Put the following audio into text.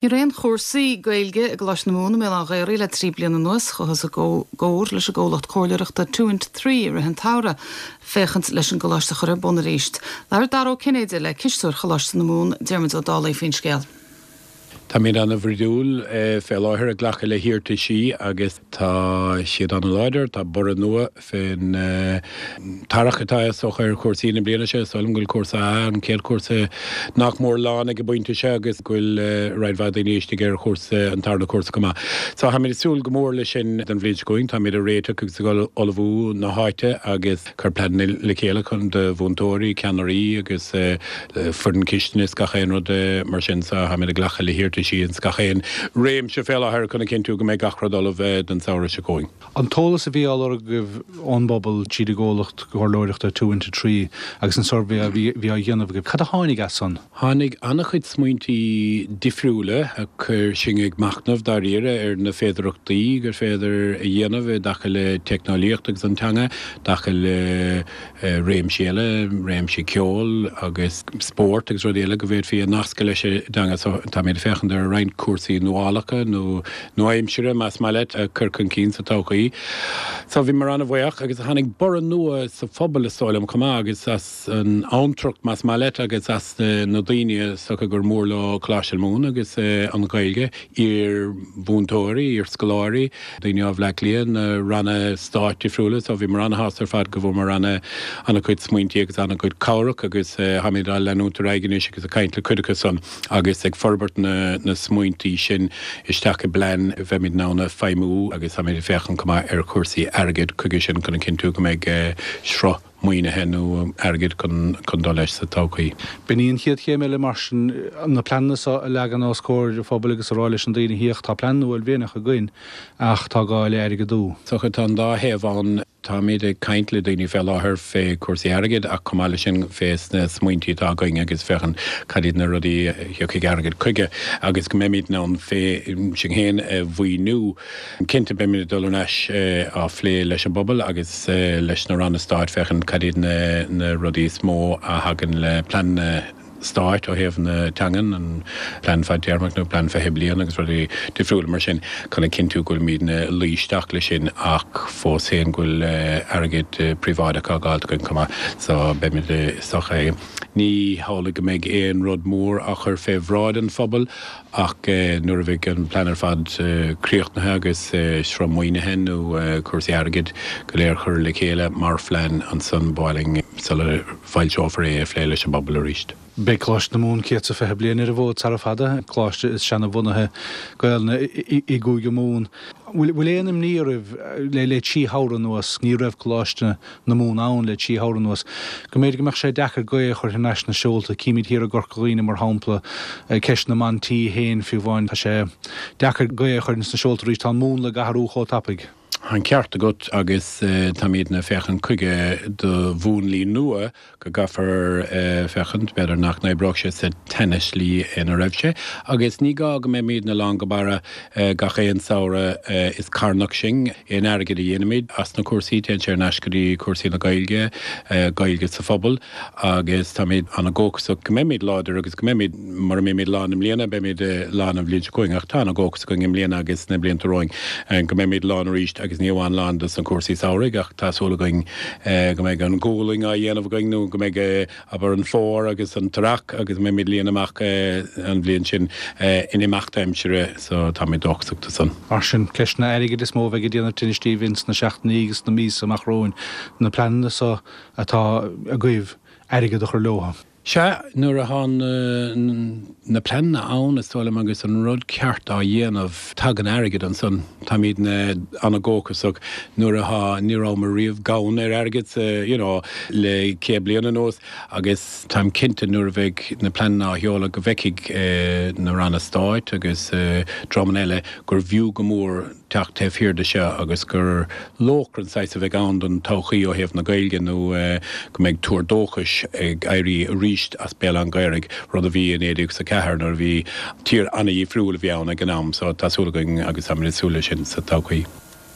Ní raibh aon chúrsaí Gaeilge i gColáiste na Mumhan i mBéal Átha an Ghaorthaidh le 3 bliana anuas. Chuathas i gcomhar leis an gcomhlacht comhairleoireachta Two Into Three i rith an tsamhraidh féachaint leis an gcoláiste a chur ar bun arís. Labhair Dara Ó Cinnéide le cisteoir Choláiste na Mumhan, Diarmuid Ó Dálaigh faoin scéal. Táimid ana-bhruidiúil fé láthair ag glacadh le hiarrataisí agus tá siad ana-láidir. Tá borradh nua fén t-earrach atá is dócha ar chúrsaí na bliana seo. Is dóigh liom go bhfuil cúrsa A, an chéad chúrsa, nach mór lán ag an bpointe seo agus go bhfuil roinnt mhaith daoine istigh ar chúrsa, an tarna cúrsa chomh maith. So táimid ag súil go mór leis sin don bhliain seo chugainn. Táimid ag réiteach agus ag ullmhú na háite agus ag cur pleananna le chéile chun do mhúinteoirí, ceannairí agus foireann cistine is gach aon rud mar sin. So táimid ag glacadh le hiarrataisí ins gach aon réimse fé láthair chun a chinntiú go mbeidh gach rud ullamh don samhradh seo chugainn. An t-eolas a bhí á lorg agaibh ón bpobal tríd an gcomhlacht comhairleoireachta Two Into Three agus an suirbhé a bhí á dhéanamh agaibh, cad a tháinig as san? Tháinig an-chuid smaointí difriúla a chuir sinn ag machnamh dáiríre ar na féidearthachtaí gur féidir a dhéanamh i dtaca le teicneolaíocht agus an teanga, i dtaca le réimsí eile, réimsí ceoil agus spóirt agus rudaí eile go bhféadfaí a nascadh leis an dteanga. So táimid ag féachaint ar roinnt cúrsaí nuálacha nó nua-aimsire, más maith leat, a chur chun cinn sa todhchaí. So bhíomar an-bhuíoch agus tháinig borradh nua sa phobal is dóigh liom chomh maith agus as an abhantrach, más maith leat, agus as na daoine is dócha gur mór leo Coláiste na Mumhan agus an Ghaeilge. iar-mhúinteoirí, iar-scoláirí, daoine ó Bhleá Cliath, na ranna stáit difriúla so bhíomar ana-shásta ar fad go bhfuaireamar ana, ana-chuid smaointí agus ana-chuid cabhrach agus táimid á leanúint ar aghaidh anois agus ag caint le cuid acu san agus ag forbairt na, na smaointí sin isteach i bplean a bheimid in ann a feidhmiú agus táimid ag féachaint chomh maith ar chúrsaí airgid chuige sin chun a chinntiú go mbeidh sruth maoinithe nó airgid chun dul leis sa todhchaí. B'in í an chéad chéim eile mar sin, na pleananna seo a leagan os comhair an phobail agus a rá leis na daoine, féach, tá plean uaillmhianach againn ach tá gá le airgeadú. Is dócha tá an dá thaobh ann. Táimid ag caint le daoine fé láthair fé chúrsaí airgid ach chomh maith leis sin fé sna smaointí atá againn agus féachaint cad iad na rudaí a thiocfaidh airgead chuige agus go mbeimid in ann fé sinn féin a mhaoiniú. Cinnte, beimid ag dul ar ais á phlé leis an bpobal agus leis na ranna stáit féachaint cad iad na rudaí is mó a thagann le pleananna stáit ó thaobh na teangan, an plean fadtéarmach nó plean 20 bliain agus rudaí difriúla mar sin chun a chinntiú go bhfuilimidne ag luí isteach leis sin ach fós féin go bhfuil airgead príobháideach á dh'fháilt againn chomh maith. So beimid is dócha ní hamhlaidh go mbeidh aon rud mór á chur fé bhráid an phobail Ach nuair a bheidh an plean ar fad críochnaithe agus sruth maoinithe nó cúrsaí airgid go léir curtha le chéile mar phlean, ansan ba mhaith linn, sula bhfoilseofar é, é a phlé leis an bpobal arís. Beidh Coláiste na Mumhan 120 bliain ar an bhfód sara fada, coláiste is seana-bhunaithe Gaelainne i gCúige Mumhan. Bhfuil aon imní oraibh le 3 shamhradh anuas, ní raibh Coláiste na Mumhan ann le 3 shamhradh anuas, go mb'fhéidir go mbeadh sé deacair gaoth a chur thar n-ais sna seolta. Címid thiar i gCorca Dhuibhne, mar shampla, ceist na mban tí féin fiú amháin. Tá sé deacair gaoth a chur ins na seolta arís. Tá an múnla ag athrú chomh tapaidh. Tá an ceart agat agus táimidne ag féachaint chuige do mhúnlaí nua go gcaithfear féachaint, b'fhéidir nach n-oibreodh sé sa tseana-shlí ina raibh sé, agus ní gá go mbeimidne lán go barra gach aon samhradh, is carnach sinn, aon airgead a dhéanaimid as na cúrsaí, téann sé ar ais go dtí cúrsaí na Gaeilge, Gaeilge sa phobal, agus táimid ana-dhóchasach go mbeimid láidir agus go mbeimid, mura mbeimid lán i mbliana, beimid lán an bhliain seo chugainn, ach tá ana-dhóchas againn i mbliana agus sna blianta romhainn go mbeimid lán arís agus ní amháin lán dos na cúrsaí samhraidh ach tá súil againn go mbeidh an ghualainn á dhéanamh againn nó go mbeidh, abair, an fómhar agus an t-earrach agus go mbeimid ag líonadh amach an bhliain sin in imeacht aimsire so táimid dóchasach do san. Mar sin, ceisteanna airgid is mó a bheidh ag déanamh tinnis daoibh ins na seachtainí agus na míosa amach romhainn, na pleananna so atá agaibh, airgead a chur leo. Sea, nuair atá na pleananna ann, is dóigh liom, agus an rud ceart á dhéanamh, tagann airgead ansan. Táimidne ana-dhóchasach nuair atá, ní rabhamar riamh gann ar airgead sa, you know, le 100 bliain anuas agus táim cinnte nuair a bheidh na pleananna á sheoladh go bhfeicfidh na ranna stáit agus dreamanna eile gur bhfiú go mór teacht taobh thiar de seo agus gur lóchrann saghas a bheidh ann don todhchaí ó thaobh na Gaeilge nó go mbeidh tuar dóchais ag éirí arís as Béal Átha an Ghaorthaidh, rud a bhí i 1904 nuair a bhí tír an-dhifriúil a bhí ann ag an am. So tá súil againn agus táimid ag súil leis sin sa todhchaí.